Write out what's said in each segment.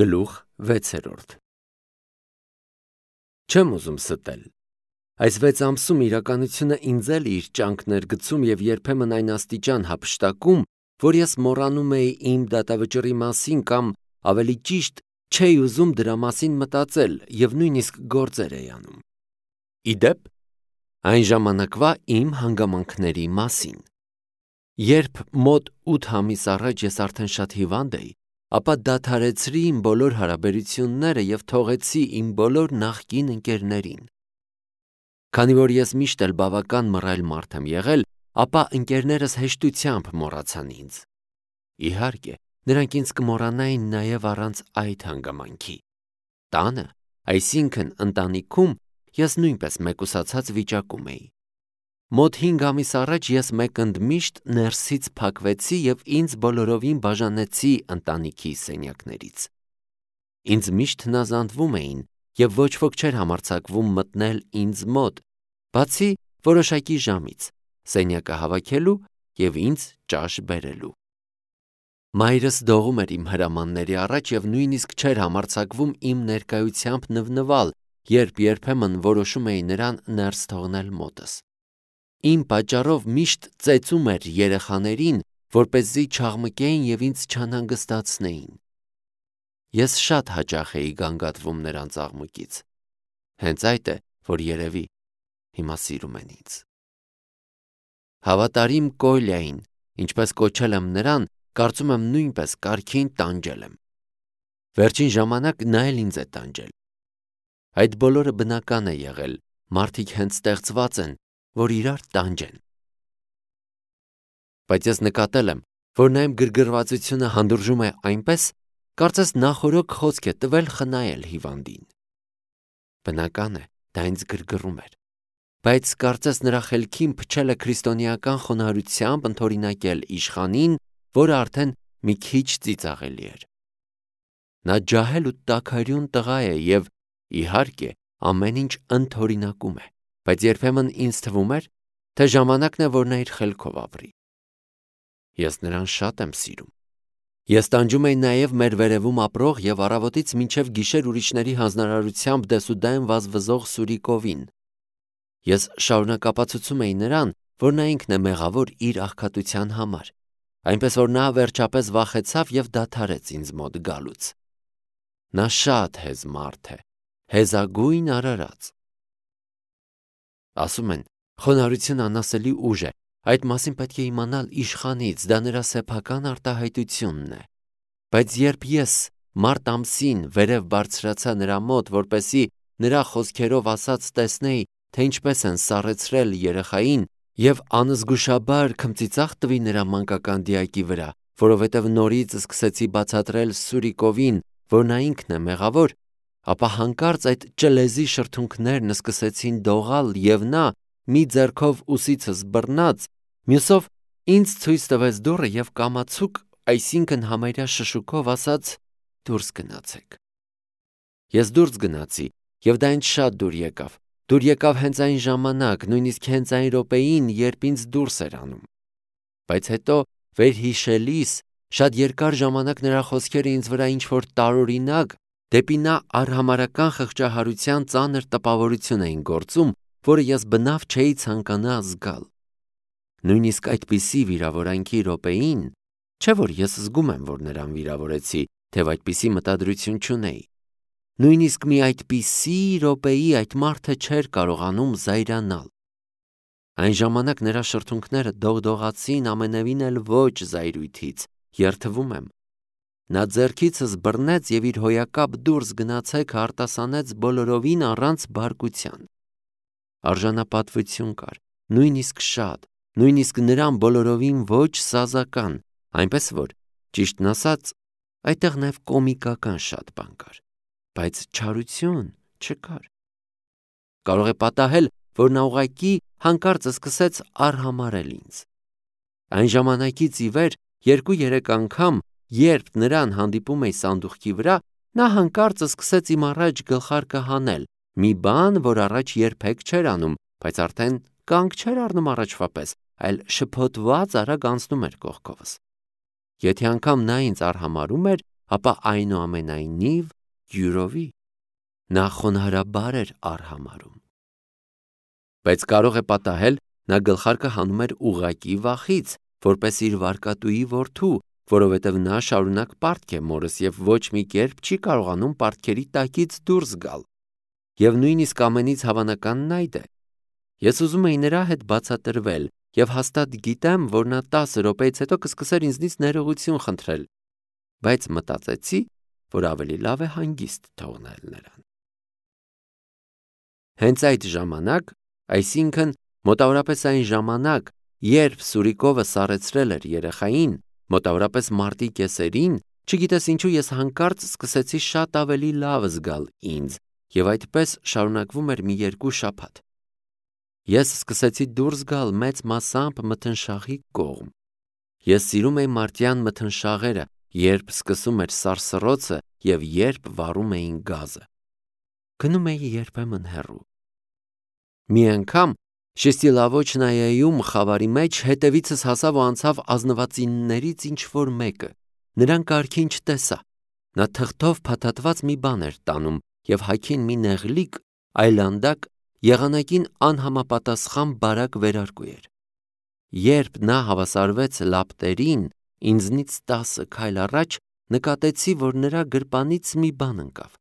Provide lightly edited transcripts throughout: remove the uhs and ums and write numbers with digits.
Գլուխ 6. Չեմ ուզում ստել։ Այս 6 ամսում իրականությունը ինձ էլ իր ճանկներ գցում եւ երբեմն այն աստիճան հափշտակում, որ ես մոռանում էի իմ դատավճռի մասին կամ ավելի ճիշտ չէի ուզում դրա մասին մտածել եւ նույնիսկ գործեր էի անում։ Իդեպ, այն ժամանակվա իմ հանգամանքների մասին։ Երբ մոտ 8 ամիս առաջ ես արդեն շատ հիվանդ էի, ապա դադարեցրի իմ բոլոր հարաբերությունները եւ թողեցի իմ բոլոր նախկին ընկերներին։ Քանի որ ես միշտ էլ բավական մռայլ մարդ եմ եղել, ապա ընկերներս հեշտությամբ մոռացան ինձ։ Իհարկե, նրանք ինձ կմոռանային նաեւ առանց այդ հանգամանքի։ Տանը, այսինքն ընտանիքում, ես նույնպես մեկուսացած վիճակում էի։ Մոտ 5 ամիս առաջ ես մեկ ընդմիշտ ներսից փակվեցի եւ ինձ բոլորովին բաժանեցի ընտանիքի սենյակներից։ Ինձ միշտ հնազանդվում էին եւ ոչ ոք չէր համարձակվում մտնել ինձ մոտ, բացի որոշակի ժամից, սենյակը հավաքելու եւ ինձ ճաշ բերելու։ Մայրս դողում էր իմ հրամանների առաջ եւ նույնիսկ չէր համարձակվում իմ ներկայությամբ նվնվալ, երբ երբեմն որոշում էի նրան ներս թողնել մոտս։ Իմ պատճառով միշտ ծեծում էր երեխաներին, որպեսզի չաղմկեին եւ ինձ չանհանգստացնեին։ Ես շատ հաճախ էի գանգատվում նրանց աղմուկից։ Հենց այդ է, որ երևի հիմա սիրում են ինձ։ Հավատարիմ Կոլյային, ինչպես կոչել եմ նրան, կարծում եմ նույնպես կարգին տանջել եմ։ Վերջին ժամանակ նա էլ ինձ է տանջել։ Այդ բոլորը բնական է եղել, մարդիկ հենց ստեղծված են, որ իրար տանջեն։ Բայց ես նկատել եմ, որ նա իմ գրգռվածությունը հանդուրժում է այնպես, կարծես նախօրոք խոսք է տվել խնայել հիվանդին։ Բնական է, դա ինձ գրգռում էր, բայց կարծես նրա խելքին փչել է քրիստոնեական խոնարհությամբ ընդօրինակել իշխանին, որը արդեն մի քիչ ծիծաղելի էր։ Նա ջահել ու տաքարյուն տղա է եւ, իհարկե, ամեն ինչ ընդօրինակում է, բայց երբեմն ինձ թվում էր, թե ժամանակն է, որ նա իր խելքով ապրի։ Ես նրան շատ եմ սիրում։ Ես տանջում էի նաև մեր վերևում ապրող եւ առավոտից մինչև գիշեր ուրիշների հանձնարարությամբ դեսուդեն վազվզող Սուրիկովին։ Ես շարունակապացուցում էի նրան, որ նա ինքն է մեղավոր իր աղքատության համար, այնպես որ նա վերջապես վախեցավ եւ դադարեց ինձ մոտ գալուց։ Նա շատ հեզ մարդ է, հեզագույն արարած։ Ասում են, խոնարհությունը անասելի ուժ է, այդ մասին պետք է իմանալ իշխանից, դա նրա սեփական արտահայտությունն է։ Բայց երբ ես մարտ ամսին վերև բարձրացա նրա մոտ, որպեսզի նրա խոսքերով ասած տեսնեի, թե ինչպես են սառեցրել երեխային եւ անզգուշաբար քմծիծաղ տվի նրա մանկական դիակի վրա, որովհետեւ նորից սկսեցի բացատրել Սուրիկովին, որ նա ինքն է մեղավոր, ապա հանկարծ այդ ճլեզի շրթունքներն սկսեցին դողալ եւ նա մի ձեռքով ուսիցս բռնած, մյուսով ինձ ցույց տվեց դուռը եւ կամացուկ, այսինքն համարյա շշուկով ասաց. «Դուրս գնացեք»։ Ես դուրս գնացի եւ դա ինձ շատ դուր եկավ։ Դուր եկավ հենց այն ժամանակ, նույնիսկ հենց այն րոպեին, երբ ինձ դուրս էր անում։ Բայց հետո վերհիշելիս շատ երկար ժամանակ նրա խոսքերը ինձ վրա ինչ-որ տարօրինակ, դեպի նա արհամարհական խղճահարության ծանր տպավորություն էին գործում, որը ես բնավ չէի ցանկանա զգալ։ Նույնիսկ այդպիսի վիրավորանքի րոպեին, չէ որ ես զգում եմ, որ նրան վիրավորեցի, թեև այդպիսի մտադրություն չունեի։ Նույնիսկ մի այդպիսի րոպեի այդ մարդը չէր կարողանում զայրանալ։ Այն ժամանակ նրա շրթունքները դողդողացին ամենևին էլ ոչ զայրույթից, երթվում եմ։ Նա ձեռքիցս բռնեց եւ իր հոյակապ դուրս գնացեք արտասանեց բոլորովին առանց բարկության։ Արժանապատվություն կար, նույնիսկ շատ, նույնիսկ նրան բոլորովին ոչ սազական, այնպես որ, ճիշտն ասած, այդտեղ նաև կոմիկական շատ բան կար, բայց չարություն չկար։ Կարող է պատահել, որ նա ուղղակի հանկարծ սկսեց արհամարել ինձ։ Այն ժամանակից ի վեր 2-3 անգամ, երբ նրան հանդիպում էի սանդուղքի վրա, նա հանկարծ սկսեց իմ առաջ գլխարկը հանել, մի բան, որ առաջ երբեք չէր անում, բայց արդեն կանգ չէր առնում առաջվա պես, այլ շփոթված արագ անցնում էր կողքովս։ Եթե անգամ նա ինձ արհամարում էր, ապա այնուամենայնիվ յուրովի նա խոնարհաբար էր արհամարհում։ Բայց կարող է պատահել, նա գլխարկը հանում էր ուղղակի վախից, որպես իր վարկատուի որդու, որովհետև նա շարունակ պարտք է մորս և ոչ մի կերպ չի կարողանում պարտքերի տակից դուրս գալ։ Եվ նույնիսկ ամենից հավանականն այդ է։ Ես ուզում էի նրա հետ բացատրվել և հաստատ գիտեմ, որ նա 10 րոպեից հետո կսկսեր ինձնից ներողություն խնդրել, բայց մտածեցի, որ ավելի լավ է հանգիստ թողնել նրան։ Հենց այդ ժամանակ, այսինքն մոտավորապես այն ժամանակ, երբ Սուրիկովը սառեցրել էր երեխային, մոտավորապես մարտի կեսերին, չգիտես ինչու ես հանկարծ սկսեցի շատ ավելի լավ զգալ ինձ և այդպես շարունակվում էր մի 2 շաբաթ։ Ես սկսեցի դուրս գալ մեծ մասամբ մթնշաղի կողմ։ Ես սիրում էի մարտյան մթնշաղերը, երբ սկսում էր սարսռոցը և երբ վառում էին գազը։ Գնում էի երբեմն հեռու։ Մի անգամ Շեստիլավոչնայայում խավարի մեջ հետևիցս հասավ ու անցավ ազնվածիններից ինչ-որ մեկը։ Նրան կարգին չտեսա։ Նա թղթով փաթաթված մի բան էր տանում և հագին մի նեղլիկ, այլանդակ, եղանակին անհամապատասխան բարակ վերարկու էր։ Երբ նա հավասարվեց լապտերին, ինձնից 10 քայլ առաջ նկատեցի, որ նրա գրպանից մի բան ընկավ։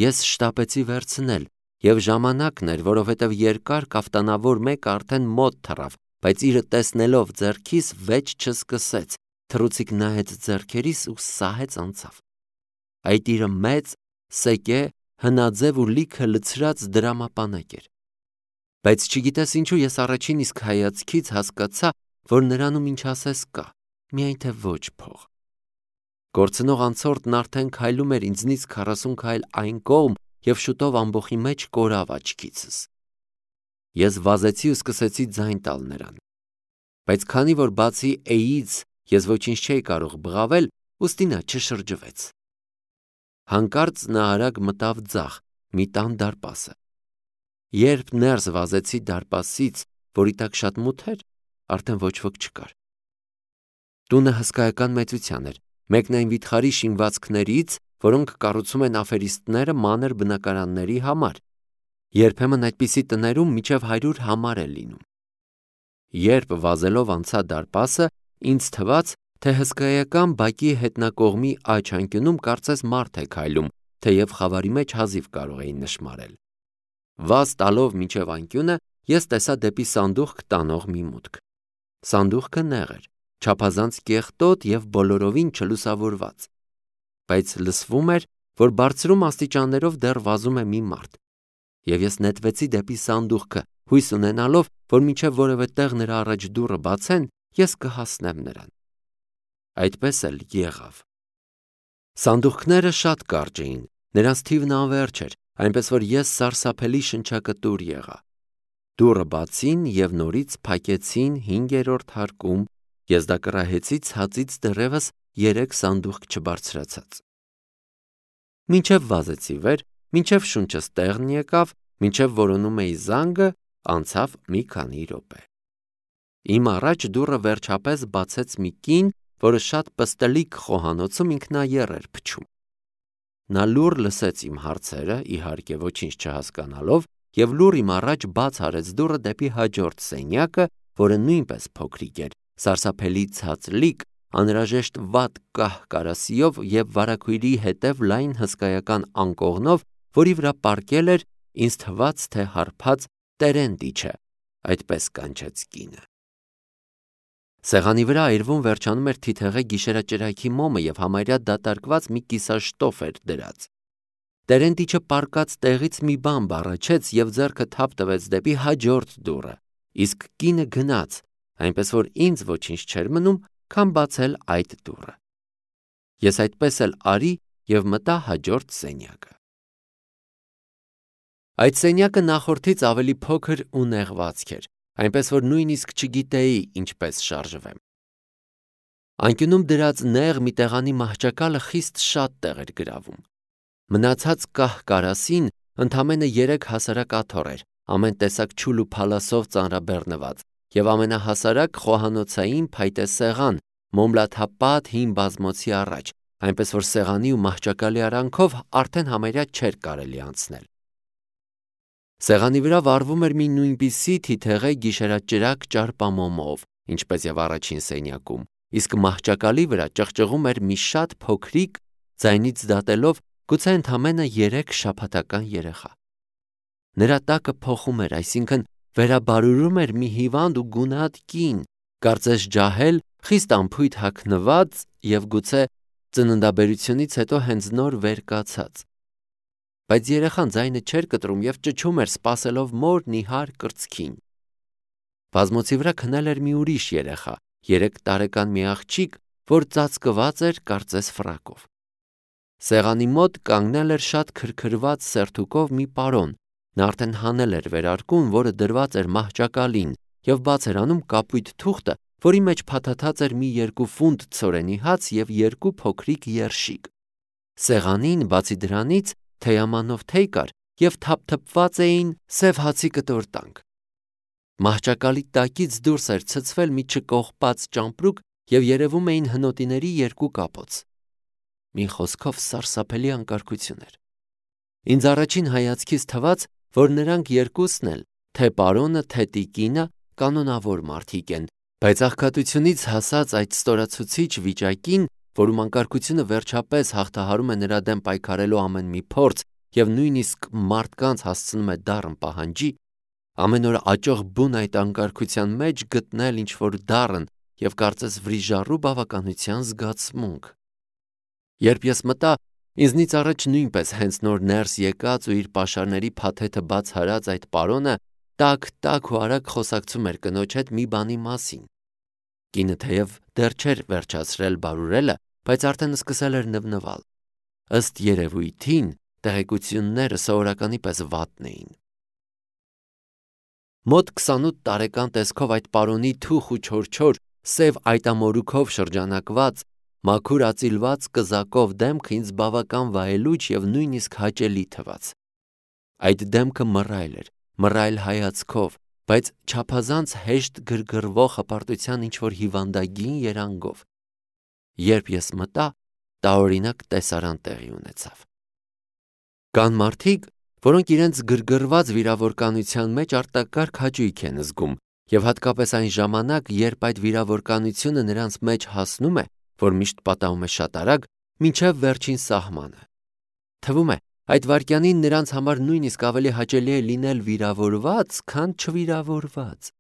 Ես շտապեցի վերցնել, և ժամանակն էր, որովհետև երկար կաֆտանավոր մեկը արդեն մոտ թռավ, բայց իրը տեսնելով ձեռքիս վեճ չսկսեց, թռուցիկ նայեց ձեռքերիս ու սահեց անցավ։ Այդ իրը մեծ, սեկե, հնաձև ու լիքը լցրած դրամապանակ էր։ Բայց չգիտես ինչու ես առաջին իսկ հայացքից հասկացա, որ նրանում ինչ ասես կա, միայն թե ոչ փող։ Գործնող անցորդն արդեն քայլում էր ինձնից 40 քայլ այն կողմ և շուտով ամբոխի մեջ կորավ աչքիցս։ Ես վազեցի ու սկսեցի ձայն տալ նրան։ Բայց քանի որ բացի էից ես ոչինչ չէի կարող բղավել, ուստի նա չշրջվեց։ Հանկարծ նա արագ մտավ ձախ, մի տան դարպասը։ Երբ ներս վազեցի դարպասից, որի տակ շատ մութ էր, արդեն ոչ ոք չկար։ Տունը հսկայական մեծության էր, մեկն այն վիթխարի շինվածքներից, որոնք կառուցում են աֆերիստները մանր բնակարանների համար։ Երբեմն այդպիսի տներում մինչև 100 համար է լինում։ Երբ վազելով անցա դարպասը, ինձ թվաց, թե հսկայական բակի հետնակողմի աջ անկյունում կարծես մարդ է քայլում, թեև խավարի մեջ հազիվ կարող էի նշմարել։ Վազ տալով մինչև անկյունը, ես տեսա դեպի սանդուղք տանող մի մուտք։ Սանդուղքը նեղ էր, չափազանց կեղտոտ և բոլորովին չլուսավորված։ Բայց լսվում էր, որ բարձրում աստիճաններով դեռ վազում է մի մարդ։ Եվ ես նետվեցի դեպի սանդուղքը, հույս ունենալով, որ մինչև որևէ տեղ նրա առաջ դուռը բացեն, ես կհասնեմ նրան։ Այդպես էլ եղավ։ Սանդուղքները շատ կարճ էին, նրանց թիվն անվերջ էր, այնպես որ ես սարսափելի շնչակտուր եղա։ Դուռը բացին և նորից փակեցին 5-րդ հարկում, ես դա կռահեցի ցածից դեռևս 3 սանդուղք չբարձրացած։ Մինչև վազեցի վեր, մինչև շունչս տեղն եկավ, մինչև որոնում էի զանգը, անցավ մի քանի րոպե։ Իմ առաջ դուռը վերջապես բացեց մի կին, որը շատ պստլիկ խոհանոցում ինքնաեռ էր փչում։ Նա լուռ լսեց իմ հարցերը, իհարկե ոչինչ չհասկանալով, և լուռ իմ առաջ բաց արեց դուռը դեպի հաջորդ սենյակը, որը նույնպես փոքրիկ էր, սարսափելի ցածլիկ, անհրաժեշտ վատ կահ կարասիով և վարագույրի հետև լայն հսկայական անկողնով, որի վրա պառկել էր, ինձ թվաց, թե հարբած Տերենտիչը, այդպես կանչեց կինը։ Սեղանի վրա այրվում վերջանում էր թիթեղե գիշերաճրագի մոմը և համարյա դատարկված մի կիսաշտոֆ էր դրած։ Տերենտիչը պառկած տեղից մի բան բառաչեց և ձեռքը թափ տվեց դեպի հաջորդ դուռը, իսկ կինը գնաց, այնպես որ ինձ ոչինչ չէր մնում, քան բացել այդ դուռը։ Ես այդպես էլ արի և մտա հաջորդ սենյակը։ Այդ սենյակը նախորդից ավելի փոքր ու նեղվածք էր, այնպես որ նույնիսկ չգիտեի ինչպես շարժվեմ։ Անկյունում դրած նեղ մի տեղանի մահճակալը խիստ շատ տեղ էր գրավում։ Մնացած կահ կարասին ընդամենը 3 հասարակ աթոռ էր, ամեն տեսակ չուլ ու փալասով ծանրաբեռնված, և ամենահասարակ խոհանոցային փայտե սեղան, մոմլաթափատ հին բազմոցի առաջ, այնպես որ սեղանի ու մահճակալի արանքով արդեն համարյա չէր կարելի անցնել։ Սեղանի վրա վառվում էր մի նույնպիսի թիթեղե գիշերաճրակ ճարպամոմով, ինչպես եւ առաջին սենյակում, իսկ մահճակալի վրա ճղճղում էր մի շատ փոքրիկ, ձայնից դատելով գուցե ընդամենը 3 շաբաթական երեխա։ Նրա տակը փոխում էր, այսինքն վերաբարուրում էր մի հիվանդ ու գունատ կին, կարծես ջահել, խիստ անփույթ հագնված եւ գուցե ծննդաբերությունից հետո հենց նոր վեր կացած։ Բայց երեխան ձայնը չէր կտրում եւ ճչում էր, սպասելով մոր նիհար կրծքին։ Բազմոցի վրա քնել էր մի ուրիշ երեխա, 3 տարեկան մի աղջիկ, որ ծածկված էր կարծես ֆրակով։ Սեղանի մոտ կանգնել էր շատ քրքրված սերթուկով մի պարոն, նա արդեն հանել էր վերարկուն, որը դրված էր մահճակալին եւ բաց էր անում կապույտ թուղթը, որի մեջ փաթաթած էր մի 2 ֆունտ ցորենի հաց եւ 2 փոքրիկ երշիկ։ Սեղանին բացի դրանից թեյամանով թեյ կար եւ թափթփված էին սև հացի կտորտանք։ Մահճակալի տակից դուրս էր ցցվել մի չկողպած ճամպրուկ եւ երևում էին հնոտիների 2 կապոց։ Մի խոսքով սարսափելի անկարգություն էր։ Ինձ առաջին հայացքից թվաց, որ նրանք երկուսն էլ, թե պարոնը, թե տիկինը, կանոնավոր մարդիկ են, բայց աղքատությունից հասած այդ ստորացուցիչ վիճակին, որում անկարգությունը վերջապես հաղթահարում է նրա դեմ պայքարելու ամեն մի փորձ եւ նույնիսկ մարդկանց հասցնում է դառն պահանջի, ամեն օր աճող բուն այդ անկարգության մեջ գտնել ինչ-որ դառն եւ կարծես վրիժառու բավականության զգացմունք։ Երբ ես մտա, ինձնից առաջ նույնպես հենց նոր ներս եկած ու իր պաշարների փաթեթը բաց հարած այդ պարոնը տակ ու արագ խոսակցում էր կնոջ հետ մի բանի մասին։ Կինը թեև դեռ չէր վերջացրել բարուրելը, բայց արդեն սկսել էր նվնվալ։ Ըստ երևույթին տեղեկությունները սովորականի պես վատն էին։ Մոտ 28 տարեկան տեսքով այդ պարոնի թուխ ու չորչոր, սև այտամորուքով շրջանակված, մաքուր ածիլված կզակով դեմքը ինձ բավական վայելուչ եւ նույնիսկ հաճելի թվաց։ Այդ դեմքը մռայլ էր, մռայլ հայացքով, բայց չափազանց հեշտ գրգռվող հպարտության ինչ-որ հիվանդագին երանգով։ Երբ ես մտա, տարօրինակ տեսարան տեղի ունեցավ։ Կան մարդիկ, որոնք իրենց գրգռված վիրավորականության մեջ արտակարգ հաճույք են զգում, եւ հատկապես այն ժամանակ, երբ այդ վիրավորականությունը նրանց մեջ հասնում է, որ միշտ պատահում է շատ արագ, մինչև վերջին սահմանը։ Թվում է, այդ վայրկյանին նրանց համար նույնիսկ ավելի հաճելի է լինել վիրավորված, քան չվիրավորված։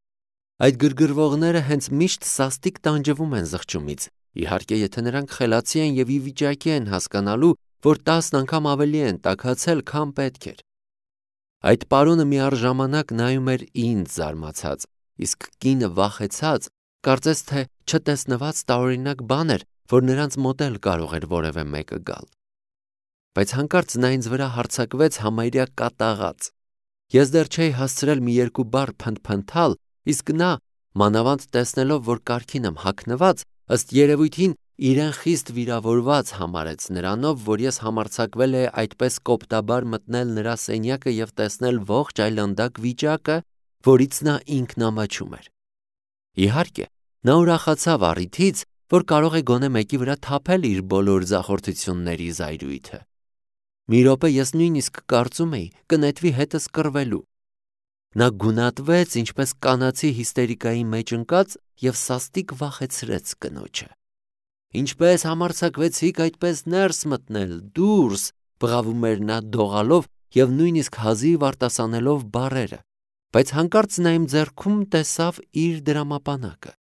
Այդ գրգռվողները հենց միշտ սաստիկ տանջվում են զղջումից, իհարկե, եթե նրանք խելացի են եւ ի վիճակի են հասկանալու, որ 10 անգամ ավելի են տաքացել, քան պետք էր։ Այդ պարոնը միառժամանակ նայում էր ինձ զարմացած, իսկ կինը վախեցած, կարծես թե չտեսնված տարօրինակ բան էր, որ նրանց մոտ էլ կարող էր որևէ մեկը գալ։ Բայց հանկարծ նա ինձ վրա հարձակվեց համարյա կատաղած։ Ես դեռ չէի հասցրել մի 2 բառ փնթփնթալ, իսկ նա, մանավանդ տեսնելով, որ կարգին եմ հագնված, ըստ երևույթին իրեն խիստ վիրավորված համարեց նրանով, որ ես համարձակվել է այդպես կոպտաբար մտնել նրա սենյակը եւ տեսնել ողջ այլանդակ վիճակը, որից նա ինքն ամաչում էր։ Իհարկե, նա ուրախացավ առիթից, որ կարող է գոնե մեկի վրա թափել իր բոլոր ձախորդությունների զայրույթը։ Մի րոպե ես նույնիսկ կարծում էի կնետվի հետս կռվելու։ Նա գունատվեց, ինչպես կանացի հիստերիկայի մեջ ընկած եւ սաստիկ վախեցրեց կնոջը։ Ինչպես համարձակվեցիք այդպես ներս մտնել, դուրս, բղավում էր նա դողալով եւ նույնիսկ հազիվ արտասանելով բառերը, բայց հանկարծ նա իմ ձեռքում տեսավ իր դրամապանակը։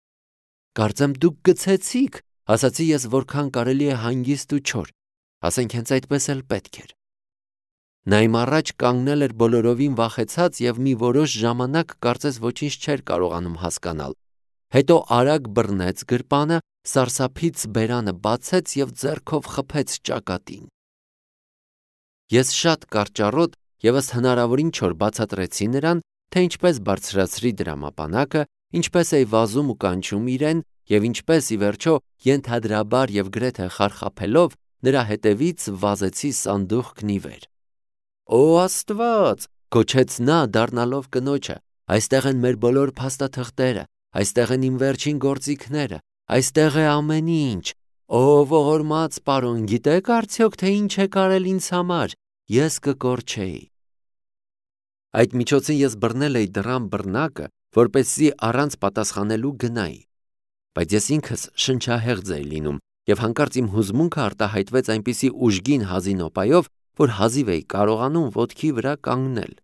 Կարծեմ դուք գցեցիք, ասացի ես որքան կարելի է հանգիստ ու չոր, ասենք հենց այդպես էլ պետք էր։ Նա իմ առաջ կանգնել էր բոլորովին վախեցած եւ մի որոշ ժամանակ կարծես ոչինչ չէր կարողանում հասկանալ։ Հետո արագ բռնեց գրպանը, սարսափից բերանը բացեց եւ ձեռքով խփեց ճակատին։ Ես շատ կարճառոտ եւ ըստ հնարավորին չոր բացատրեցի նրան, թե ինչպես բարձրացրի դրամապանակը, ինչպես էի վազում ու կանչում իրեն եւ ինչպես ի վերջո ենթադրաբար եւ գրեթե խարխափելով նրա հետևից վազեցի սանդուղքն ի վեր։ Օ Աստված, գոչեց նա դառնալով կնոջը, այստեղ են մեր բոլոր փաստաթղթերը, այստեղ են իմ վերջին գործիքները, այստեղ է ամեն ինչ։ Ով ողորմած պարոն, գիտեք արդյոք, թե ինչ եք արել ինձ համար, ես կկորչեի։ Այդ միջոցին ես բռնել էի դռան բռնակը, որպեսզի առանց պատասխանելու գնայի։ Բայց ես ինքս շնչահեղձ էի լինում, եւ հանկարծ իմ հուզմունքը արտահայտվեց այնպիսի ուժգին հազի նոպայով, որ հազիվ էի կարողանում ոտքի վրա կանգնել։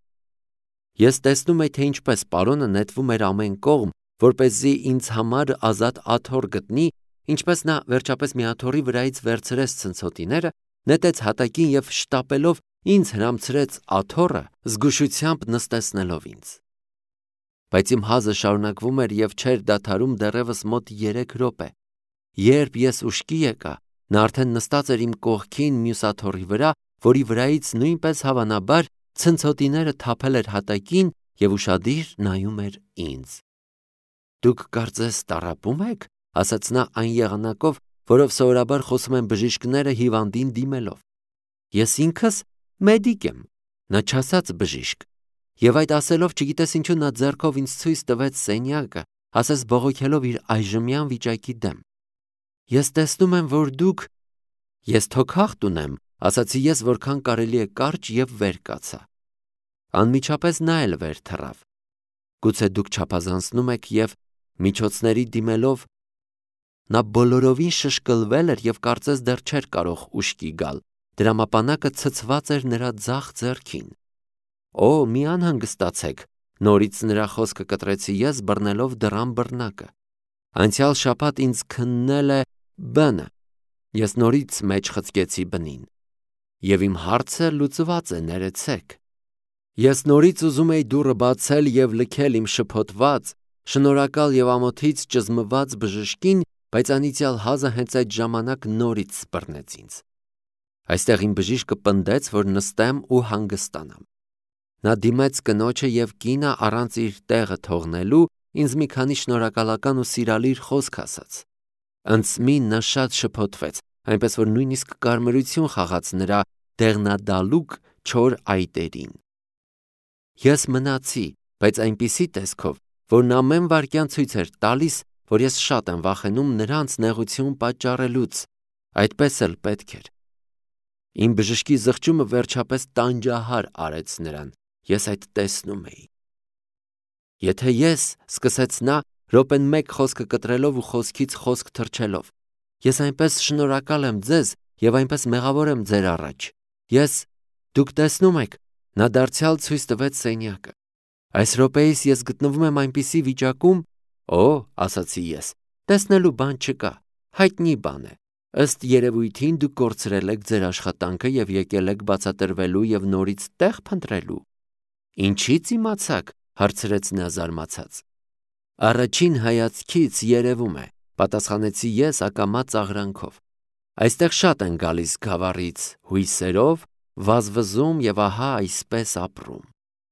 Ես տեսնում էի, թե ինչպես պարոնը նետվում էր ամեն կողմ, որպեսզի ինձ համար ազատ աթոռ գտնի, ինչպես նա վերջապես մի աթոռի վրայից վերցրեց ցնցոտիները, նետեց հատակին եւ շտապելով ինձ հրամցրեց աթոռը, զգուշությամբ նստեցնելով ինձ։ Բայց իմ հազը շարունակվում էր եւ չէր դադարում դեռևս մոտ 3 րոպե։ Երբ ես ուշքի եկա, նա արդեն նստած էր իմ կողքին մյուս աթոռի վրա, որի վրայից նույնպես հավանաբար ցնցոտիները թափել էր հատակին եւ ուշադիր նայում էր ինձ։ Դուք կարծես տառապում եք, ասաց նա այն եղանակով, որով սովորաբար խոսում են բժիշկները հիվանդին դիմելով։ Ես ինքս մեդիկ եմ, նա չասաց բժիշկ։ Եվ այդ ասելով չգիտես ինչու նա ձեռքով ինձ ցույց տվեց սենյակը, ասես բողոքելով իր այժմյան վիճակի դեմ։ Ես տեսնում եմ, որ դուք… Ես թոքախտ ունեմ, ասացի ես, որքան կարելի է կարճ եւ վեր կացա։ Անմիջապես նա էլ վեր թռավ։ Գուցե դուք չափազանցնում եք եւ միջոցների դիմելով… Նա բոլորովին շշկլվել էր եւ կարծես դեռ չէր կարող ուշքի գալ։ Դրամապանակը ցցված էր նրա ձախ ձեռքին։ Օ, մի անհանգստացեք, նորից նրա խոսքը կտրեցի ես, բռնելով դռան բռնակը։ Անցյալ շաբաթ ինձ քննել է B-ը։ Ես նորից մեջ խցկեցի B-ին։ Եվ իմ հարցը լուծված է, ներեցեք։ Ես նորից ուզում էի դուռը բացել եւ լքել իմ շփոթված, շնորհակալ եւ ամոթից ճզմված բժշկին, բայց անիծյալ հազը հենց այդ ժամանակ նորից սպռնեց ինձ։ Այստեղ իմ բժիշկը պնդեց, որ նստեմ ու հանգստանամ։ Նա դիմեց կնոջը եւ կինը առանց իր տեղը թողնելու ինձ մի քանի շնորհակալական ու սիրալիր խոսք ասաց։ Ընծմին նա շատ շփոթվեց, այնպես որ նույնիսկ կարմրություն խաղաց նրա դեղնադալուկ չոր այտերին։ Ես մնացի, բայց այնպիսի տեսքով, որ նա ամեն վայրկյան ցույց էր տալիս, որ ես շատ եմ վախենում նրանց նեղություն պատճառելուց, այդպես էլ պետք էր։ Իմ բժշկի զղջումը վերջապես տանջահար արեց նրան, ես այդ տեսնում էի։ Եթե ես, սկսեց նա, րոպեն մեկ խոսքը կտրելով ու խոսքից խոսք թռչելով, ես այնպես շնորհակալ եմ ձեզ եւ այնպես մեղավոր եմ ձեր առաջ։ Դուք տեսնում եք, նա դարձյալ ցույց տվեց սենյակը։ Այս րոպեիս ես գտնվում եմ այնպիսի վիճակում, ասացի ես, տեսնելու բան չկա, հայտնի բան է։ Ըստ երևույթին դուք կորցրել եք ձեր աշխատանքը եւ եկել եք բացատրվելու եւ նորից տեղ փնտրելու։ Ինչի՞ց իմացաք, հարցրեց նա զարմացած։ Առաջին հայացքից երևում է, պատասխանեցի ես ակամա ծաղրանքով։ Այստեղ շատ են գալիս գավառից հույսերով, վազվզում եւ ահա այսպես ապրում։